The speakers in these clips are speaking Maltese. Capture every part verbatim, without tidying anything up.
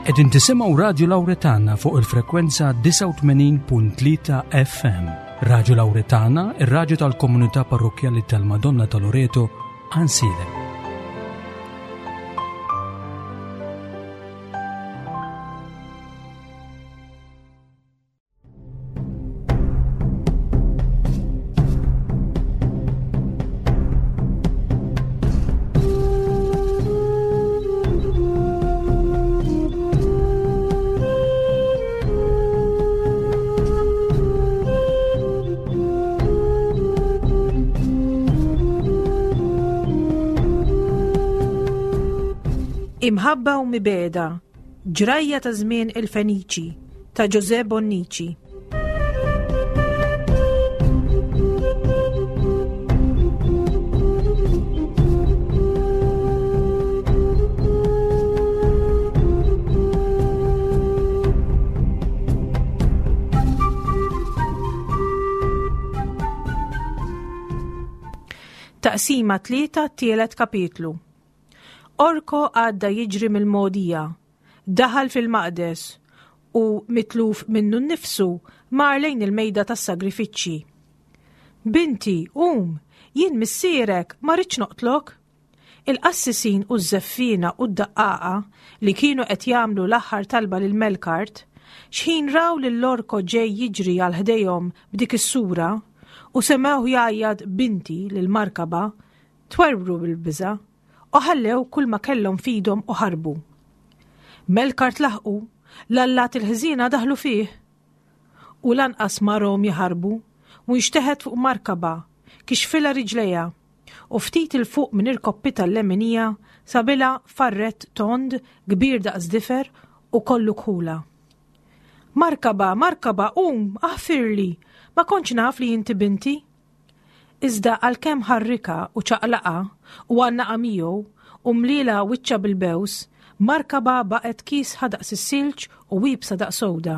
Qegħdin tisimgħu Radio Lauretana fuq il-frekwenza disgħa u tmenin punt tlieta F M. Radio Lauretana, ir-raġu tal-komunità parrokjali tal-Madonna ta' Loreto, Għajnsielem. Imħabba u mibegħda, ġrajja ta' żmien il-Feniċi, ta' Jose Bonnici. Taqsima tlieta, tielet kapitlu. Orko għadda jiġri mill-mogħdija, daħal fil-maqdes u mitluf minnu nnifsu mar lejn il-mejda tas-sagrifiċċji. "Binti, um, jien missierek, ma rridx noqtlok." Il-qassisin u z-zeffina u d-daqqaqa li kienu qed jagħmlu l-aħħar talba lil Melkart, xħin raw lil Orko ġej jiġri għal ħdejhom b'dik is-sura u semgħuh jgħajjat "binti" lil Markaba, twerwru bil-biża' u ħallew kull ma kellhom f'idhom u ħarbu. Melkart laħqu, l-allat il-ħżiena daħlu fih. U lanqas ma rahom jaħarbu, u nxteħet fuq Markaba, kixfilha riġlejha, u ftit 'il fuq minn irkoppitha l-leminija sabilha farrett tond kbir daqs difer u kollu kħula. "Markaba, Markaba, um, aħfirli, ma kontx naf li inti binti." Iżda għalkemm ħarrikha u ċaqlaqha u għannaqha miegħu u mlielha wiċċha bil-bews, Markaba baqgħet kiesħa daqs is-silġ u iebsa daqs għuda.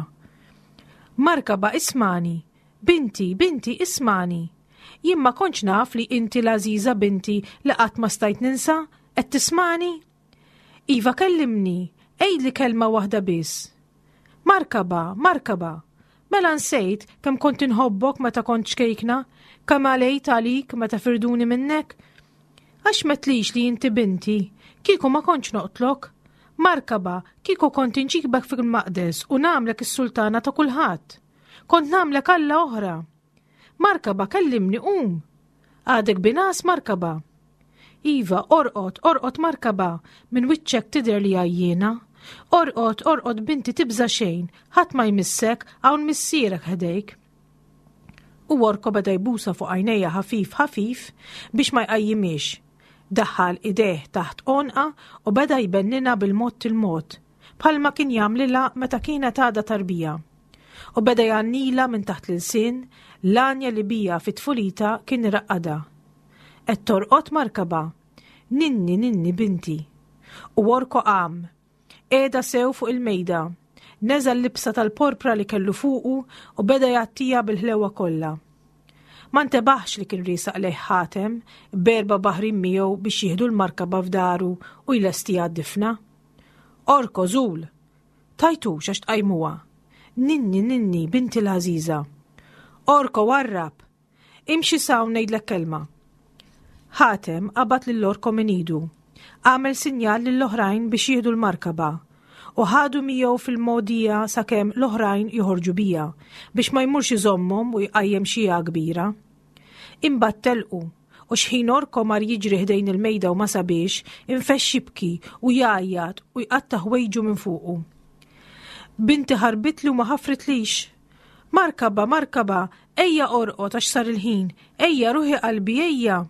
"Markaba, ismagħni, binti, binti, ismagħni. Jien ma kontx naf li inti l-għażiża binti li qatt ma stajt ninsa, qed tismagħni? Iva, kellimni, għidli kelma waħda biss. Markaba, Markaba, mela nsejt kemm kont inħobbok meta kont ċkejkna, kemm għalejt għalik meta firduni minnek? Għax m'għedtlix li inti binti, kieku ma kontx noqtlok. Markaba, kieku kont inġibek fil-maqdes u nagħmlek is-sultana ta' kulħadd. Kont nagħmlek alla oħra. Markaba, kellimni, um. Għadek bin-ngħas, Markaba? Iva, orqod, orqod, Markaba, minn wiċċek tidher li għajjiena. Orqod, orqod, binti, tibża xejn, ħadd ma jmissek, hawn missierek ħdejk." U Orko beda jbusha fuq għajnejha ħafif ħafif biex ma jqajjimhiex. Daħħal idejh taħt għonqha u beda jbenninha bil-mod il-mod, bħalma kien jagħmlilha meta kienet għadha tarbija. U beda jgħannilha minn taħt l-ilsien l-għanja li bija fit-tfulita kien iraqqadha. "Qed torqod, Markaba? Ninni, ninni, binti." U Orko qam. Qegħedha sew fuq il-mejda. Neża' l-libsa tal-porpra li kellu fuqu u beda jgħattiha bil-ħlewa kollha. Ma ntebaħx li kien riesaq lejh Ħatem b'erba' baħrin miegħu biex jieħdu 'l Markaba f'daru u jlestiha d-difna. "Orko, żul! Tgħajtux għax tqajmuha. Ninni, ninni, binti l-għażiża. Orko, warrab! Imxi s'hawn ngħidlek kelma." Ħatem qabad lil Orko minn idu. Għamel sinjal lill-oħrajn biex jieħdu 'l Markaba u ħadu miegħu fil-mogħdija sakemm l-oħrajn joħorġu biha biex ma jmurx iżommhom u jqajjem xija kbira. Imbagħad telqu u xħin Orko mar jiġri ħdejn il-mejda u ma sabhiex, infexx jibki u jgħajjat u jqatta' ħwejġu minn fuqu. "Binti ħarbitli u ma ħafritlix. Markaba, Markaba, ejja orqod għax sar il-ħin, ejja, ruħi qalbi, ejja."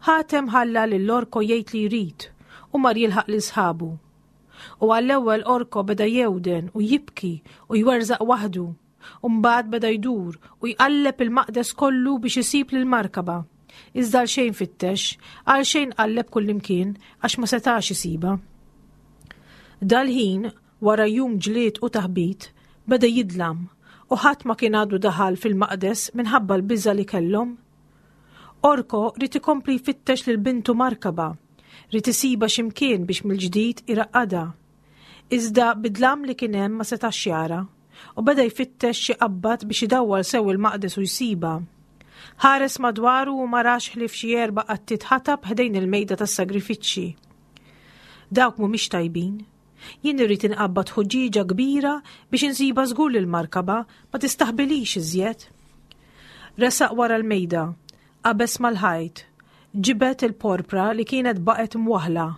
Ħatem ħalla lil Orko jgħid li jrid u mar jilħaq lil sħabu. U għall-ewwel Orko beda jewden u jibki u jwerżaq waħdu. U mbagħad beda jdur u jqalleb il-maqdes kollu biex isib lil Markaba. Iżda għal xejn fittex, għal xejn qalleb kullimkien għax ma setax isibha. Dal-ħin, wara jum ġlied u taħbit, beda jidlam u ħadd ma kien għadu daħal fil-maqdes minħabba l-biża li kellhom. Orko ried ikompli jfittex lil bintu Markaba, ried isibha x'imkien biex mill-ġdid iraqqadha. Iżda bid-dlam li kien hemm ma setax jara u beda jfittex xi qabbad biex idawwal sew il-maqdes u jsibha. Ħares madwaru u ma rax ħlief xi erba' qattiet ħatab ħdejn il-mejda tas-sagrifiċċji. Dawk mhumiex tajbin. Jien irrid inqabbad ħuġġieġa kbira biex insiba żgur lil markaba ma tistaħbilix iżjed. Resaq wara l-mejda, qabeż mal-ħajt, ġibed il-porpra li kienet baqgħet mwaħla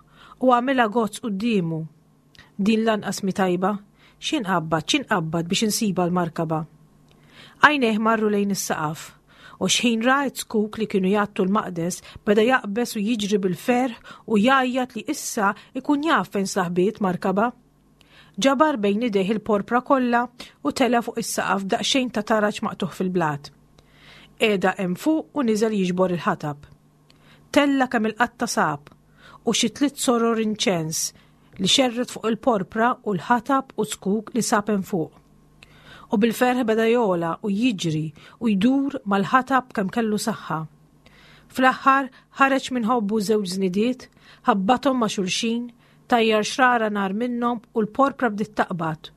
u għamilha gozz quddiemu. Din lanqas mi tajba, x'inqabbad, x'inqabbad biex insiba l-markaba. Għajnejh marru lejn is-saqaf u xħin ra zkuk li kienu jgħattu l-maqdes beda jaqbeż u jiġri bil-ferħ u jgħajjat li issa ikun jaf fejn saħbiet markaba. Ġabar bejn idejh il-porpra kollha u tela fuq is-saqaf daqsxejn ta' taraġ maqtuħ fil-blat. Qiegħda hemm fuq u niżel jiġbor il-ħatab. Tella kemm il-qatta sab u xi tliet soror inċens li xerret fuq il-porpra u l-ħatab u zkuk li sab hemm fuq. U bil-ferħ beda jola u jiġri u jdur mal-ħatab kemm kellu saħħa. Fl-aħħar ħareġ minn ħobbu żewġ żnidiet, ħabbathom ma' xulxin, tajjar xrara nar minnhom u l-porpra bdiet taqbad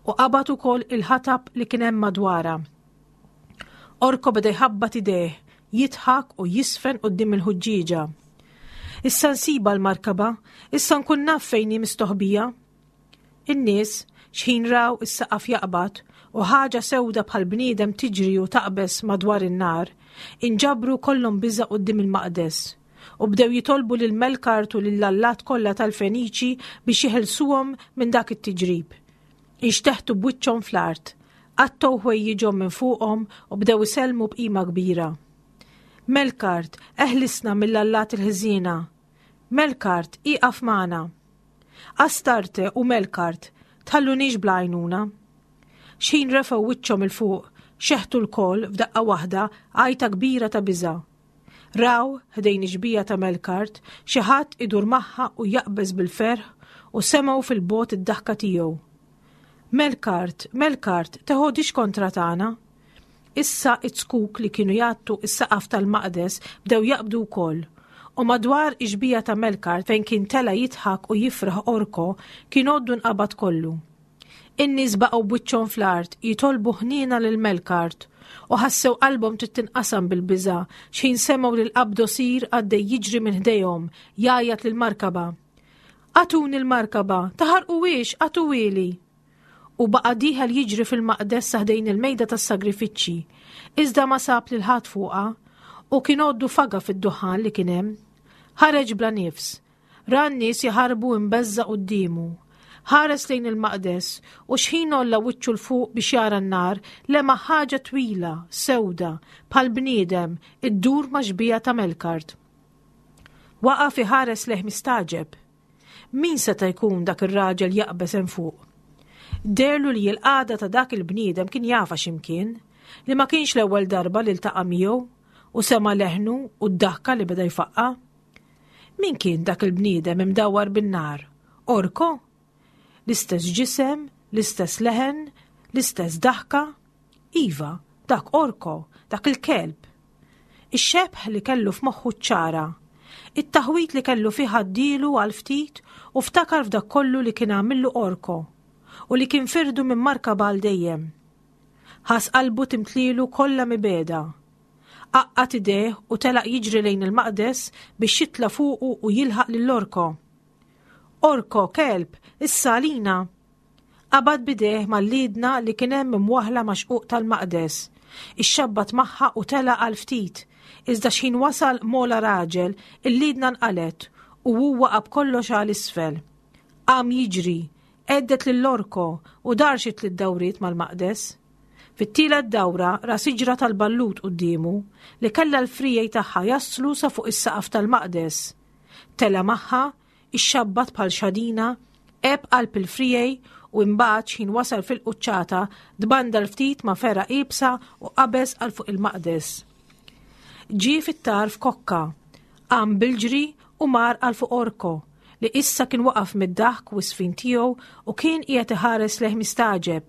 u qabad ukoll il-ħatab li kien hemm madwarha. Orko beda jħabbat idejh, jidħak u jisfen quddiem il-ħuġġieġa. Issa nsiba l-markaba, issa nkun naf fejn hi mistoħbija. In-nies xħin raw is-saqaf jaqbad u ħaġa sewda bħal bniedem tiġri u taqbeż madwar in-nar, inġabru kollhom biża' quddiem il-maqdes u bdew jitolbu lil Melkart u lill-allat kollha tal-Feniċi biex jeħilsuhom minn dak it-tiġrib. Inxteħtu b'wiċċhom fl-art, qattgħu ħwejjiġhom minn fuqhom u bdew isellmu b'qima kbira. Melkart, eħlisna mill-allat il-ħżiena. Melkart, ieqaf magħna. Astarte u Melkart, tħallunix bla għajnuna. Xħin refgħu wiċċhom 'il fuq, xeħtu lkoll f'daqqa waħda għajta kbira ta' biża'. Raw, ħdejn ix-xbieha ta' Melkart, xi ħadd idur magħha u jaqbeż bil-ferħ u semgħu fil-bogħod id-daħka tiegħu. Melkart, Melkart, teħodix kontra tagħna. Issa it-zkuk li kienu jgħattu is-saqaf tal-maqdes bdew jaqbdu wkoll. U madwar ix-xbieha ta' Melkart fejn kien tela jidħak u jifraħ Orko kien għoddu nqabad kollu. In-nies baqgħu b'wiċċhom fl-art jitolbu ħniena lil Melkart u ħassew qalbhom trid tinqasam bil-biża' x'ħin semgħu lil Qabdosir għaddej jiġri minn ħdejhom jgħajjat lil markaba. Agħtuni l-markaba, taħarquhiex, agħtuhieli. U baqa' dieħel jiġri fil-maqdes sa ħdejn il-mejda tas-sagrifiċċji, iżda ma sab lil ħadd fuqha u kien għoddu faga fid-duħan li kien hemm. Ħareġ bla nifs, ra n-nies jaħarbu imbeżża' quddiemu. Ħares lejn il-maqdes u xħin għolla wiċċu 'l fuq biex jara n-nar, lemaħ ħaġa twila, sewda, bħal bniedem, iddur ma' xbieha ta' Melkart. Waqaf iħares lejh mistagħġeb. Min seta' jkun dak ir-raġel jaqbeż hemm fuq? Deherlu li l-qagħda ta' dak il-bniedem kien jafha x'imkien, li ma kienx l-ewwel darba li ltaqa' miegħu u sema' leħnu u d-daħka li beda jfaqqa'. Min kien dak il-bniedem imdawwar bin-nar? Orko? L-istess ġisem, l-istess leħen, l-istess daħka? Iva, dak Orko, dak il-kelb. Ix-xebh li kellu f'moħħu ċara. It-taħwit li kellu fih għaddielu għal ftit u ftakar f'dak kollu li kien għamillu Orko u li kien firdu minn markaba għal dejjem. Ħass qalbu timtlilu kollha mibegħda. Għaqqad idejh u telaq jiġri lejn il-maqdes biex jitla' fuqu u jilħaq lil Orko. Orko, kelb, issa għalina. Qabad bidejh mal-liedna li kien hemm imwaħla ma' xquq tal-maqdes. Ixxabbat magħha u telaq għal ftit, iżda x'ħin wasal mola raġel, il-liedna nqalet u hu waqa' b'kollox għal isfel. Qam jiġri, għeddet lil Orko u dar xi tliet dawriet mal-maqdes. Fit-tielet dawra ra siġra tal-ballut quddiemu li kellha l-frijej tagħha jaslu sa fuq is-saqaf tal-maqdes. Tela' magħha, ixxabbat bħal xadina, għeb qalb il-frijej u imbagħad x'ħin wasal fil-quċċata tbandal ftit ma' fergħa iebsa u qabeż għal fuq il-maqdes. Ġie fit-tarf kokka, qam bil-ġri u mar għal fuq Orko li issa kien waqaf mid-daħk u s-sfin tiegħu u kien qiegħed iħares lejh mistagħġeb.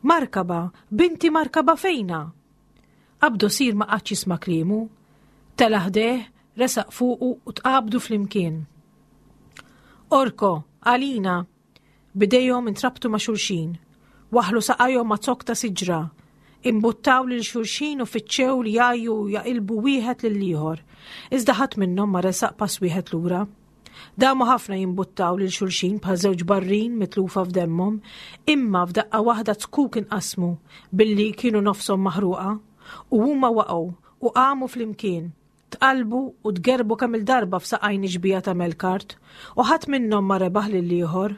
Markaba, binti Markaba fejna? Qabdosir ma qagħadx jisma' kliemu. Tela' ħdejh, resaq fuqu u tqabdu flimkien. Orko, għalina! B'idejhom intrabtu ma' xulxin, waħħlu saqajhom ma' zokk ta' siġra, imbuttaw lil xulxin u fittxew li jgħajju u jaqilbu wieħed lill-ieħor. Iżda ħadd minnhom ma resaq pass wieħed lura. Damu ħafna jimbuttaw lil xulxin bħal żewġ barrin mitlufa f'demmhom, imma f'daqqa waħda zkuk inqasmu billi kienu nofshom maħruqa, u huma waqgħu u qamu flimkien, tqallbu u tgerbu kemm il-darba f'saqajn ix-xbieha ta' Melkart, u ħadd minnhom ma rebaħ lill-ieħor.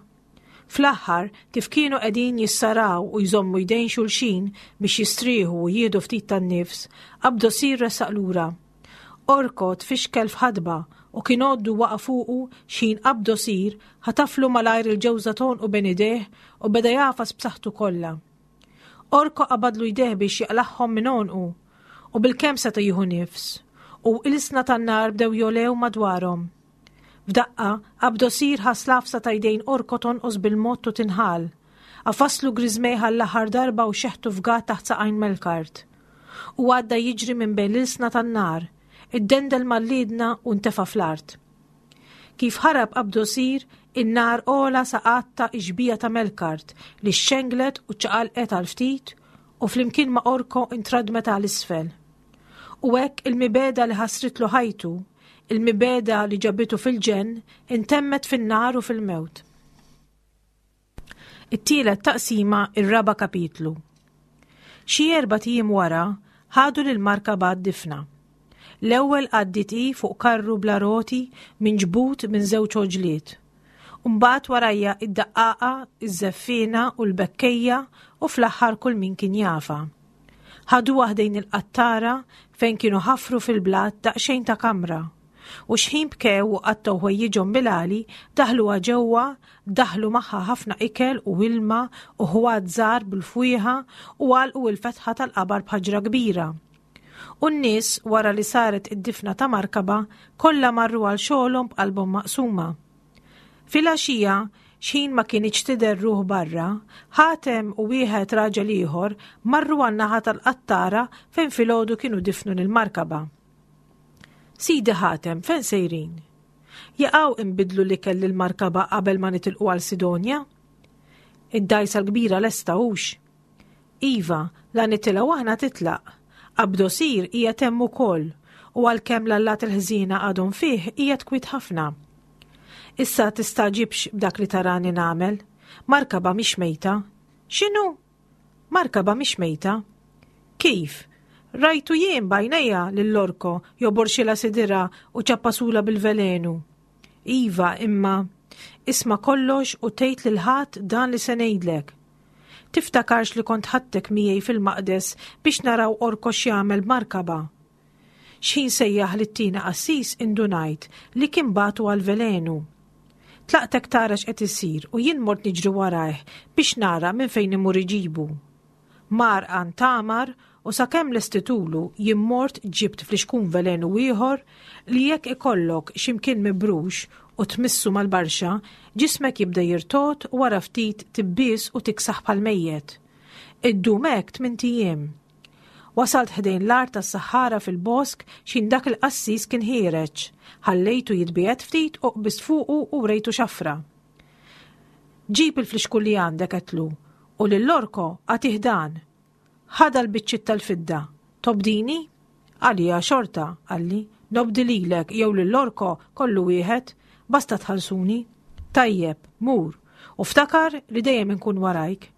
Fl-aħħar, kif kienu qegħdin jissaraw u jżommu jdejn xulxin biex jistrieħu u jieħdu ftit tan-nifs, Abdosir resaq lura. Orko tfixkel f'ħadba u kien għoddu waqa' fuqu x'ħin Abdosir ħataflu malajr il-ġewża t'għonqu bejn idejh u beda jagħfas b'saħħtu kollha. Orko qabadlu jdejh biex jaqlagħhom minn għonqu u bilkemm seta' jieħu nifs u ilsna tan-nar bdew jogħlew madwarhom. F'daqqa, Abdosir ħass l-għafsa ta' jdejn Orko tonqos bil-mod u tinħall. Għafaslu griżmejh għall-aħħar darba u xeħtu fgat taħt saqajn Melkart. U għadda jiġri minn bejn l-ilsna tan-nar, iddendel mal-liedna u ntefa' fl-art. Kif ħarab Abdosir, in-nar għola sa għatta x-xbieha ta' Melkart li xxenglet u ċaqalqet għal ftit u flimkien ma' Orko intradmet għal isfel. U hekk il-mibegħda li ħasritlu ħajtu, il-mibegħda li ġabitu fil-ġenn, intemmet fin-nar u fil-mewt. It-tielet taqsima, ir-raba' kapitlu. Xi erbat ijiem wara, ħadu lil Markaba għad-difna. L-ewwel għaddiet hi fuq karru bla roti minġbud minn żewġ għoġliet. Mbagħad warajha id-daqqaqa, iż-żeffiena u l-bekkejja u fl-aħħar kull min kien jafha. Ħaduha ħdejn il-qattara fejn kienu ħafru fil-blat daqsxejn ta' kamra. U xħin bkew u qattgħu ħwejjiġhom bil-għali, daħluha ġewwa, daħlu magħha ħafna ikel u ilma u ħwat żgħar bil-fwieħa u għalqu l-fetħa tal-qabar b'ħaġra kbira. U n-nies wara li saret id-difna ta' Markaba kollha marru għal xogħolhom b'qalbhom maqsuma. Filgħaxija, xħin ma kinitx tidher ruħ barra, Ħatem u wieħed raġel ieħor marru għan-naħa tal-qattara fejn filgħodu kienu difnu lil Markaba. Sidi Ħatem, fejn sejrin? Jaqaw inbiddlu l-ikel lil Markaba qabel ma nitilqu għal Sidonja? Id-dgħajsa l-kbira lesta hux? Iva, la nitilgħu aħna titlaq. Abdosir qiegħed hemm ukoll, u għalkemm l-allat il-ħżiena għadhom fih qiegħed kwiet ħafna. Issa tistagħġibx b'dak li tarani nagħmel. Markaba mhix mejta. X'inhu? Markaba mhix mejta. Kif? Rajtu jien b'għajnejja lil Orko joborxilha sidirha u ċappasula bil-velenu. Iva, imma isma' kollox u tgħid lil ħadd dan li se ngħidlek. Tiftakarx li kont ħadtek miegħi fil-maqdes biex naraw Orko x'jagħmel b'Markaba. X'ħin sejjaħ lit-tieni qassis indunajt li kien bagħtu għall-velenu. Tlaqtek tara x'qed isir u jien mort niġri warajh biex nara minn fejn imur iġibu. Mar għand Tamar u sakemm lestitulu jien mort ġibt flixkun velenu ieħor li jekk ikollok x'imkien mibrux u tmissu mal-barxa, ġismek jibda jirtogħod u wara ftit tibbies u tiksaħ bħal mejjet. Iddum hekk tmint ijiem. Wasalt ħdejn l-għar tas-saħħara fil-bosk x'ħin dak il-qassis kien ħiereġ. Ħallejtu jitbiegħed ftit u qbist fuqu u wrejtu xafra. Ġib il-flixkun li għandek, għedtlu, u lil Orko agħtih dan. Ħadha l-biċċiet tal-fidda. Tobdini? Għalija xorta, qalli, nobdi lilek jew lil Orko kollu wieħed, basta tħallsuni. Tajjeb, mur, u ftakar li dejjem inkun warajk.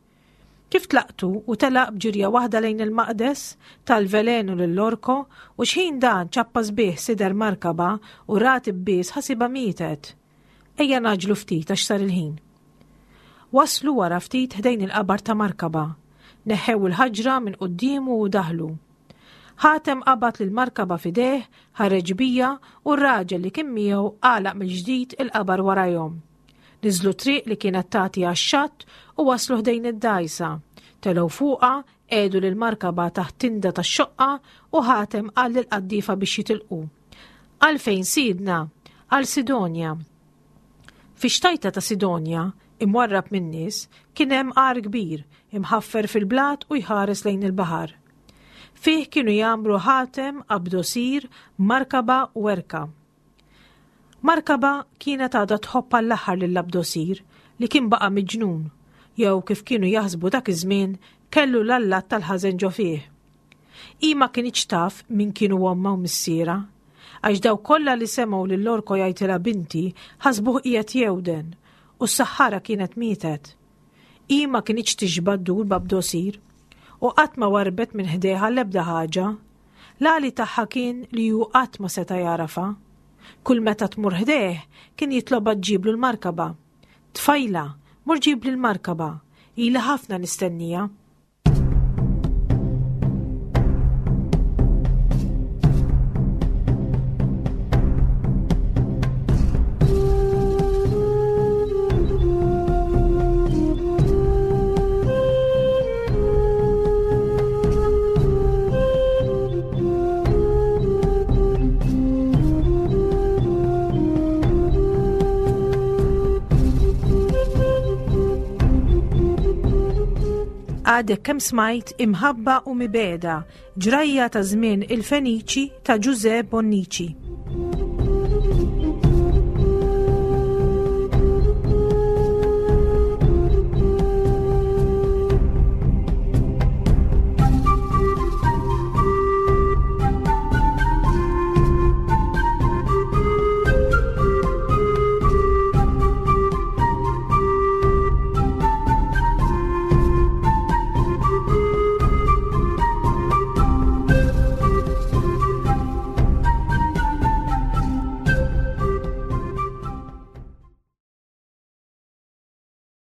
Kif tlaqtu u telaq b'ġirja waħda lejn il-maqdes, tal-velenu lil Orko, u xħin dan ċappas bih sider Markaba u ra tibbies ħasibha mietet. Ejja ngħaġġlu ftit għax sar il-ħin. Waslu wara ftit ħdejn il-qabar ta' Markaba. Neħħew il-ħaġra minn quddiemu u daħlu. Ħatem qabad lil Markaba f'idejh, ħareġ bija u r-raġel li kien miegħu għalaq mill-ġdid il-qabar warajhom. Niżlu triq li kienet tagħti għax-xatt u waslu ħdejn id-dgħajsa. Telgħu fuqha, qiegħdu lil Markaba taħt tinda tax-xoqqa u Ħatem qal lill-qaddiefa biex jitilqu. Għalfejn sidna? Għal Sidonja. Fix-xtajta ta' Sidonja, imwarrab min-nies, kien hemm għar kbir, imħaffer fil-blat u jħares lejn il-baħar. Fih kienu jgħammru Ħatem, Abdosir, Markaba u Erka. Markaba kienet għadha tħobb għall-aħħar lil Abdosir li kien baqa' miġnun, jew kif kienu jaħsbu dak iż-żmien kellu l-allat tal-ħażen ġo fih. Hi ma kinitx taf min kienu ommha u missierha, għax dawk kollha li semgħu lil Orko jgħidilha binti ħasbuh qiegħed jewden u s-saħħara kienet mietet. Hi ma kinitx tixba' ddur b'Abdosir u qatt ma warrbet minn ħdejha l-ebda ħaġa. L-għali tagħha kien li hu qatt ma seta' jagħrafha. Kull meta tmur ħdejh kien jitlobha ġġiblu l-markaba. Tfajla, mur ġibli l-markaba, ili ħafna nistennija. Għadek kemm smajt Imħabba u Mibegħda, ġrajja ta' żmien il-Feniċi ta' Ġużè Bonnici.